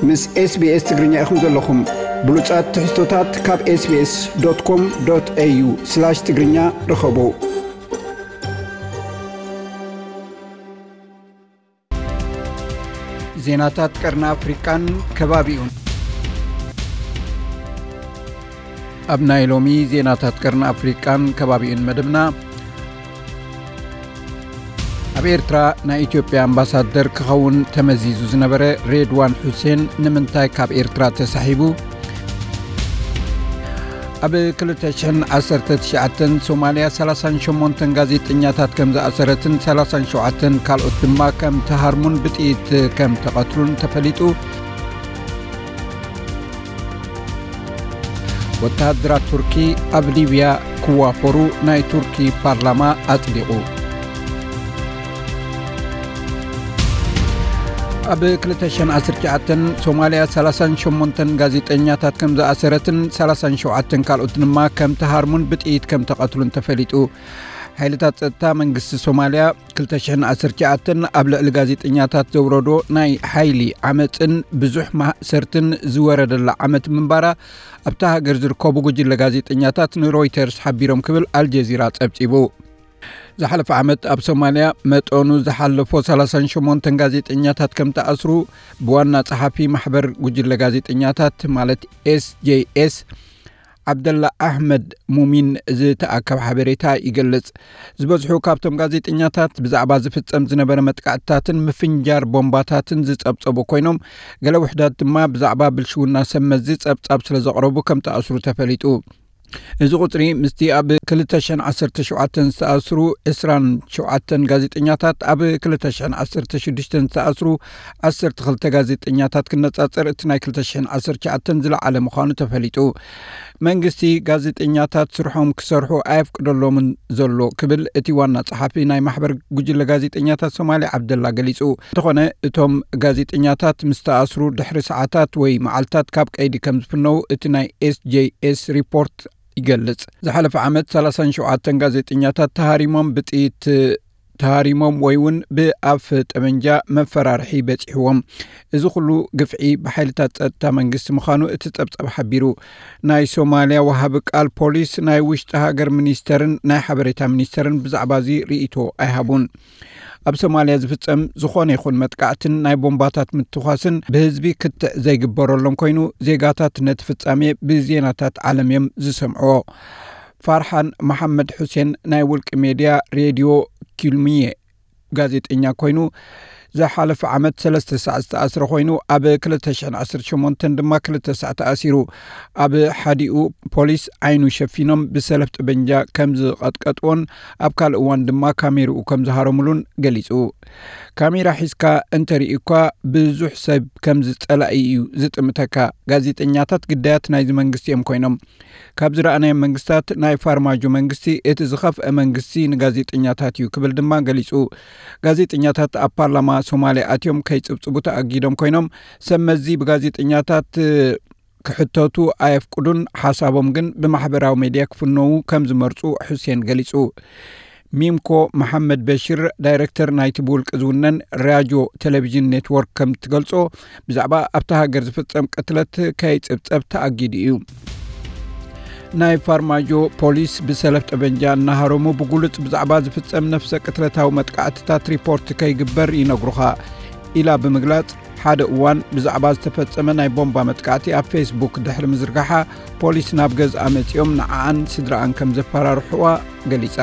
ምስ SBS ትግርኛ ኢኹም ዘለኹም። ብሉጻት ትሕዝቶታት ካብ SBS.com.au/ትግርኛ ርኸቡ። ዜናታት ቀርኒ ኣፍሪቃን ከባቢኡን። ኣብ ናይ ሎሚ ዜናታት ቀርኒ ኣፍሪቃን ከባቢኡን መደብና፣ ኣብ ኤርትራ ናይ ኢትዮጵያ ኣምባሳደር ክኸውን ተመዚዙ ዝነበረ ሬድዋን ሑሴን ንምንታይ ካብ ኤርትራ ተሳሒቡ? ኣብ ክልተ ሽሕን ዓሰርተ ትሽዓተን ሶማልያ ሰላሳን ሸሞንተን ጋዜጠኛታት ከም ዝኣሰረትን ሰላሳን ሸውዓተን ካልኦት ድማ ከም ተሃርሙን ብጥይት ከም ተቐትሉን ተፈሊጡ። ወተሃደራት ቱርኪ ኣብ ሊብያ ክዋፈሩ ናይ ቱርኪ ፓርላማ ኣጽዲቑ። ኣብ ክልተ ሽሕን ዓሰርተ ትሽዓተን ሶማልያ ሰላሳን ሸሞንተን ጋዜጠኛታት ከም ዝኣሰረትን ሰላሳን ሸውዓተን ካልኦት ድማ ከም ተሃርሙን ብጥይት ከም ተቐትሉን ተፈሊጡ። ሓይልታት ጸጥታ መንግስቲ ሶማልያ ክልተ ሽሕን ዓሰርተ ትሽዓተን ኣብ ልዕሊ ጋዜጠኛታት ዘውረዶ ናይ ሓይሊ ዓመጽን ብዙሕ ማእሰርትን ዝወረደላ ዓመት ምንባራ ኣብታ ሃገር ዝርከቡ ጉጅለ ጋዜጠኛታት ንሮይተርስ ሓቢሮም ክብል ኣልጀዚራ ጸብጺቡ። ዝሓለፈ ዓመት ኣብ ሶማልያ መጠኑ ዝሓለፎ ሰላሳን ሸሞንተን ጋዜጠኛታት ከም ተኣስሩ ብዋና ጸሓፊ ማሕበር ጉጅለ ጋዜጠኛታት ማለት ኤስጄኤስ ዓብደላ ኣሕመድ ሙሚን ዝተኣከብ ሓበሬታ ይገልጽ። ዝበዝሑ ካብቶም ጋዜጠኛታት ብዛዕባ ዝፍጸም ዝነበረ መጥቃዕትታትን ምፍንጃር ቦምባታትን ዝጸብጸቡ ኮይኖም፣ ገለ ውሕዳት ድማ ብዛዕባ ብልሽውና ሰብ መዚ ጸብጻብ ስለ ዘቕረቡ ከም ተኣስሩ ተፈሊጡ። እዚ ቁጽሪ ምስቲ ኣብ ክልተ ሽሕን ዓሰርተ ሸውዓተን ዝተኣስሩ ዕስራን ሸውዓተን ጋዜጠኛታት፣ ኣብ ክልተ ሽሕን ዓሰርተ ሽዱሽተን ዝተኣስሩ ዓሰርተ ክልተ ጋዜጠኛታት ክነጻጸር፣ እቲ ናይ ክልተ ሽሕን ዓሰርተ ትሽዓተን ዝለዓለ ምዃኑ ተፈሊጡ። መንግስቲ ጋዜጠኛታት ስርሖም ክሰርሑ ኣየፍቅደሎምን ዘሎ ክብል እቲ ዋና ጸሓፊ ናይ ማሕበር ጉጅለ ጋዜጠኛታት ሶማሌ ዓብደላ ገሊጹ። እንተኾነ እቶም ጋዜጠኛታት ምስ ተኣስሩ ድሕሪ ሰዓታት ወይ መዓልታት ካብ ቀይዲ ከም ዝፍነው እቲ ናይ ኤስጄኤስ ሪፖርት ይገልጽ። ዝሓለፈ ዓመት ሰላሳን ሸውዓተን ጋዜጠኛታት ተሃሪሞም ብጥይት ተሃሪሞም ወይ እውን ብኣፍ ጠመንጃ መፈራርሒ በጺሕዎም። እዚ ኩሉ ግፍዒ ብሓይልታት ጸጥታ መንግስቲ ምዃኑ እቲ ጸብጻብ ሓቢሩ። ናይ ሶማልያ ወሃቢ ቃል ፖሊስ፣ ናይ ውሽጢ ሃገር ሚኒስተርን ናይ ሓበሬታ ሚኒስተርን ብዛዕባ እዚ ርእይቶ ኣይሃቡን። ኣብ ሶማልያ ዝፍጸም ዝኾነ ይኹን መጥቃዕትን ናይ ቦምባታት ምትኳስን ብህዝቢ ክትዕ ዘይግበረሎም ኮይኑ፣ ዜጋታት ነቲ ፍጻሜ ብዜናታት ዓለም እዮም ዝሰምዕዎ። ፋርሓን መሓመድ ሑሴን ናይ ውልቂ ሜድያ ሬድዮ ኪልሚየ ጋዜጠኛ ኮይኑ፣ ዝሓለፈ ዓመት ሰለስተ ሳዕ ዝተኣስረ ኮይኑ፣ ኣብ ክልተ ሽሕን ዓሰርተ ሸሞንተን ድማ ክልተ ሳዕ ተኣሲሩ። ኣብ ሓዲኡ ፖሊስ ዓይኑ ሸፊኖም ብሰለፍ ጠበንጃ ከም ዝቐጥቀጥዎን ኣብ ካልእ እዋን ድማ ካሜርኡ ከም ዝሃረሙሉን ገሊጹ። ካሜራ ሒዝካ እንተርኢ እኳ ብዙሕ ሰብ ከም ዝጸላኢ እዩ ዝጥምተካ። ጋዜጠኛታት ግዳያት ናይዚ መንግስቲ እዮም ኮይኖም። ካብ ዝረኣናዮም መንግስታት ናይ ፋርማጆ መንግስቲ እቲ ዝኸፍአ መንግስቲ ንጋዜጠኛታት እዩ ክብል ድማ ገሊጹ። ጋዜጠኛታት ኣብ ፓርላማ ሶማልያ ኣትዮም ከይጽብጽቡ ተኣጊዶም ኮይኖም፣ ሰብ መዚ ብጋዜጠኛታት ክሕተቱ ኣየፍቅዱን፣ ሓሳቦም ግን ብማሕበራዊ ሜድያ ክፍነዉ ከም ዝመርጹ ሑሴን ገሊጹ። ሚምኮ መሓመድ በሽር፣ ዳይረክተር ናይቲ ብውልቂ ዝውነን ራጆ ቴሌቪዥን ኔትወርክ ከም ትገልጾ፣ ብዛዕባ ኣብታ ሃገር ዝፍጸም ቅትለት ከይጽብጸብ ተኣጊዱ እዩ። ናይ ፋርማጆ ፖሊስ ብሰለፍ ጠበንጃ እናሃረሙ ብጉሉጽ ብዛዕባ ዝፍጸም ነፍሰ ቅትለታዊ መጥቃዕትታት ሪፖርት ከይግበር ይነግሩኻ ኢላ ብምግላጽ፣ ሓደ እዋን ብዛዕባ ዝተፈጸመ ናይ ቦምባ መጥቃዕቲ ኣብ ፌስቡክ ድሕሪ ምዝርጋሓ፣ ፖሊስ ናብ ገዝኣ መጺኦም ንዓኣን ስድራኣን ከም ዘፈራርሕዋ ገሊጻ።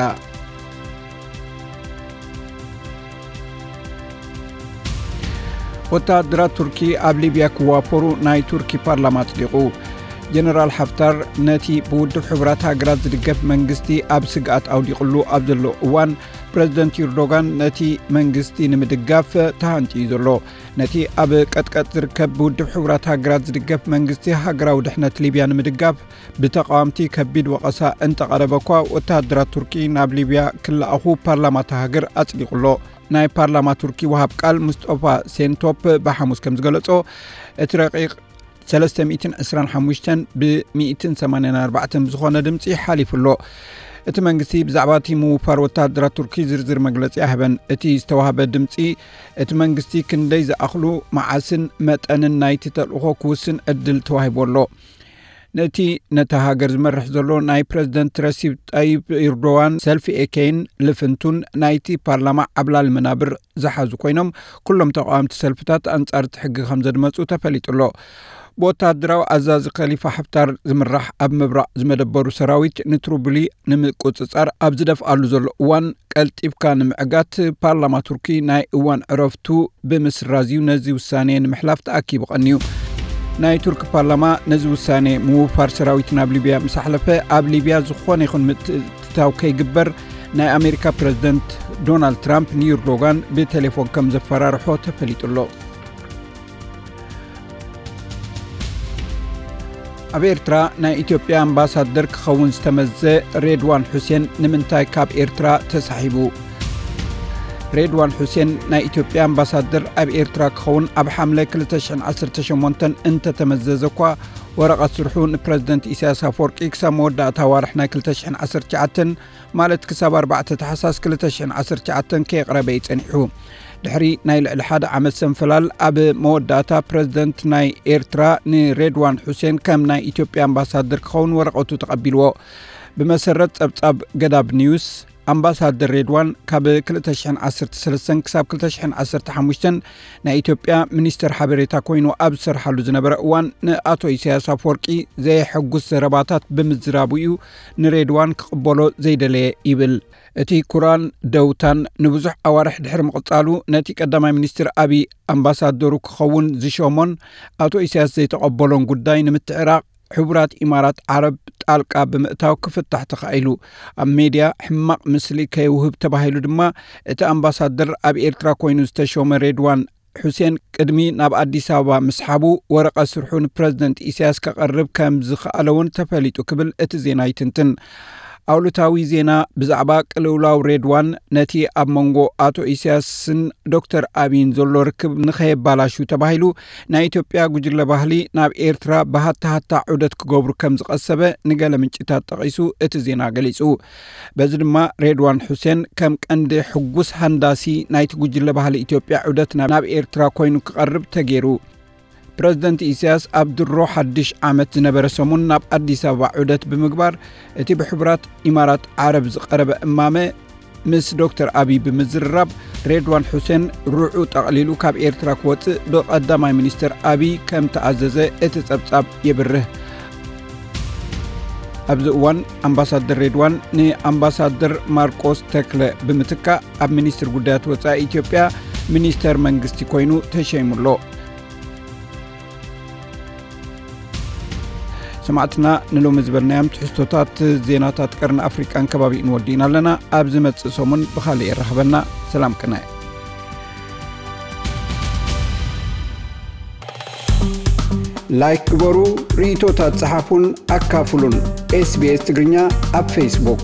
ወተሃደራት ቱርኪ ኣብ ሊብያ ክዋፈሩ ናይ ቱርኪ ፓርላማ ኣጽዲቑ። ጀነራል ሓፍታር ነቲ ብውድብ ሕቡራት ሃገራት ዝድገፍ መንግስቲ ኣብ ስግኣት ኣውዲቕሉ ኣብ ዘሎ እዋን፣ ፕረዚደንት ኤርዶጋን ነቲ መንግስቲ ንምድጋፍ ተሃንጥዩ ዘሎ። ነቲ ኣብ ቀጥቀጥ ዝርከብ ብውድብ ሕቡራት ሃገራት ዝድገፍ መንግስቲ ሃገራዊ ድሕነት ሊብያ ንምድጋፍ ብተቓወምቲ ከቢድ ወቐሳ እንተቐረበ እኳ፣ ወተሃደራት ቱርኪ ናብ ሊብያ ክለኣኹ ፓርላማ እታ ሃገር ኣጽዲቑ ኣሎ። ናይ ፓርላማ ቱርኪ ወሃብ ቃል ሙስጠፋ ሴንቶፕ ብሓሙስ ከም ዝገለጾ፣ እቲ ረቂቕ ሰለስተ ሚእትን ዕስራን ሓሙሽተን ብ ሚእትን ሰማንያን ኣርባዕተን ብዝኾነ ድምጺ ሓሊፉ ኣሎ። እቲ መንግስቲ ብዛዕባ እቲ ምውፋር ወተሃደራት ቱርኪ ዝርዝር መግለጺ ኣይሃበን። እቲ ዝተዋህበ ድምጺ፣ እቲ መንግስቲ ክንደይ ዝኣኽሉ፣ መዓስን መጠንን ናይቲ ተልእኾ ክውስን ዕድል ተዋሂቡ ኣሎ። ነቲ ነታ ሃገር ዝመርሕ ዘሎ ናይ ፕረዚደንት ረሲብ ጣይብ ኤርዶዋን ሰልፊ ኤኬይን ልፍንቱን ናይቲ ፓርላማ ዓብላሊ መናብር ዝሓዙ ኮይኖም፣ ኩሎም ተቓወምቲ ሰልፍታት ኣንጻር እቲ ሕጊ ከም ዘድመጹ ተፈሊጡ ኣሎ። ብወተሃደራዊ ኣዛዚ ከሊፋ ሓፍታር ዝምራሕ ኣብ ምብራቕ ዝመደበሩ ሰራዊት ንትሩብሊ ንምቁጽጻር ኣብ ዝደፍኣሉ ዘሎ እዋን፣ ቀልጢፍካ ንምዕጋት ፓርላማ ቱርኪ ናይ እዋን ዕረፍቱ ብምስራዝ እዩ ነዚ ውሳኔ ንምሕላፍ ተኣኪቡ ቀንዩ። ናይ ቱርኪ ፓርላማ ነዚ ውሳኔ ምውፋር ሰራዊት ናብ ሊብያ ምስ ኣሕለፈ፣ ኣብ ሊብያ ዝኾነ ይኹን ምትእትታው ከይግበር ናይ ኣሜሪካ ፕረዚደንት ዶናልድ ትራምፕ ንዩርዶጋን ብቴሌፎን ከም ዘፈራርሖ ተፈሊጡ ኣሎ። ኣብ ኤርትራ ናይ ኢትዮጵያ ኣምባሳደር ክኸውን ዝተመዘ ሬድዋን ሑሴን ንምንታይ ካብ ኤርትራ ተሳሒቡ? ሬድዋን ሑሴን ናይ ኢትዮጵያ ኣምባሳደር ኣብ ኤርትራ ክኸውን ኣብ ሓምለ ክልተ ሽሕን ዓሰርተ ሸሞንተን እንተተመዘዘ እኳ፣ ወረቐት ስርሑ ንፕረዚደንት ኢሳያስ ኣፈወርቂ ክሳብ መወዳእታ ዋርሕ ናይ ክልተ ሽሕን ዓሰርተ ትሽዓተን፣ ማለት ክሳብ ኣርባዕተ ታሕሳስ ክልተ ሽሕን ዓሰርተ ትሽዓተን ከየቕረበ እዩ ጸኒሑ። ድሕሪ ናይ ልዕሊ ሓደ ዓመት ሰንፈላል፣ ኣብ መወዳእታ ፕረዚደንት ናይ ኤርትራ ንሬድዋን ሑሴን ከም ናይ ኢትዮጵያ ኣምባሳደር ክኸውን ወረቐቱ ተቐቢልዎ። ብመሰረት ጸብጻብ ገዳብ ኒውስ፣ ኣምባሳደር ሬድዋን ካብ ክልተ ሽሕን ዓሰርተ ሰለስተን ክሳብ ክልተ ሽሕን ዓሰርተ ሓሙሽተን ናይ ኢትዮጵያ ሚኒስተር ሓበሬታ ኮይኑ ኣብ ዝሰርሓሉ ዝነበረ እዋን፣ ንኣቶ ኢሳያስ ኣፈወርቂ ዘየሐጉስ ዘረባታት ብምዝራቡ እዩ ንሬድዋን ክቕበሎ ዘይደለየ ይብል። እቲ ኩራን ደውታን ንብዙሕ ኣዋርሕ ድሕሪ ምቕጻሉ፣ ነቲ ቀዳማይ ሚኒስትር ኣብይ ኣምባሳደሩ ክኸውን ዝሾሞን ኣቶ ኢሳያስ ዘይተቐበሎን ጉዳይ ንምትዕራቕ፣ ሕቡራት ኢማራት ዓረብ ጣልቃ ብምእታው ክፍታሕ ተኻኢሉ። ኣብ ሜድያ ሕማቕ ምስሊ ከይውህብ ተባሂሉ ድማ፣ እቲ ኣምባሳደር ኣብ ኤርትራ ኮይኑ ዝተሾመ ሬድዋን ሑሴን ቅድሚ ናብ ኣዲስ ኣበባ ምስሓቡ፣ ወረቐት ስርሑ ንፕረዚደንት ኢሳያስ ከቐርብ ከም ዝኸኣለ እውን ተፈሊጡ ክብል እቲ ዜና ይትንትን። ኣውሎታዊ ዜና ብዛዕባ ቅልውላው ሬድዋን፣ ነቲ ኣብ መንጎ ኣቶ ኢሳያስን ዶክተር ኣብይን ዘሎ ርክብ ንኸየባላሹ ተባሂሉ፣ ናይ ኢትዮጵያ ጉጅለ ባህሊ ናብ ኤርትራ ብሃታሃታ ዑደት ክገብሩ ከም ዝቐሰበ ንገለ ምንጭታት ጠቒሱ እቲ ዜና ገሊጹ። በዚ ድማ ሬድዋን ሑሴን ከም ቀንዲ ሕጉስ ሃንዳሲ ናይቲ ጉጅለ ባህሊ ኢትዮጵያ ዑደት ናብ፣ ናብ ኤርትራ ኮይኑ ክቐርብ ተገይሩ። ፕረዚደንት ኢሳያስ ኣብ ድሮ ሓድሽ ዓመት ዝነበረ ሰሙን ናብ ኣዲስ ኣበባ ዑደት ብምግባር፣ እቲ ብሕቡራት ኢማራት ዓረብ ዝቐረበ እማመ ምስ ዶክተር ኣብይ ብምዝርራብ፣ ሬድዋን ሑሴን ርዑ ጠቕሊሉ ካብ ኤርትራ ክወጽእ ብቐዳማይ ሚኒስትር ኣብይ ከም ተኣዘዘ እቲ ጸብጻብ የብርህ። ኣብዚ እዋን ኣምባሳደር ሬድዋን ንኣምባሳደር ማርቆስ ተክለ ብምትካእ፣ ኣብ ሚኒስትር ጉዳያት ወጻኢ ኢትዮጵያ ሚኒስተር መንግስቲ ኮይኑ ተሸይሙ ኣሎ። ሰማዕትና፣ ንሎሚ ዝበልናዮም ትሕዝቶታት ዜናታት ቀርኒ ኣፍሪቃን ከባቢኡን ወዲእና ኣለና። ኣብ ዝመጽእ ሰሙን ብኻልእ የራኽበና። ሰላም ቅነ። ላይክ ግበሩ፣ ርእይቶታት ጸሓፉን ኣካፍሉን። ኤስቢኤስ ትግርኛ ኣብ ፌስቡክ።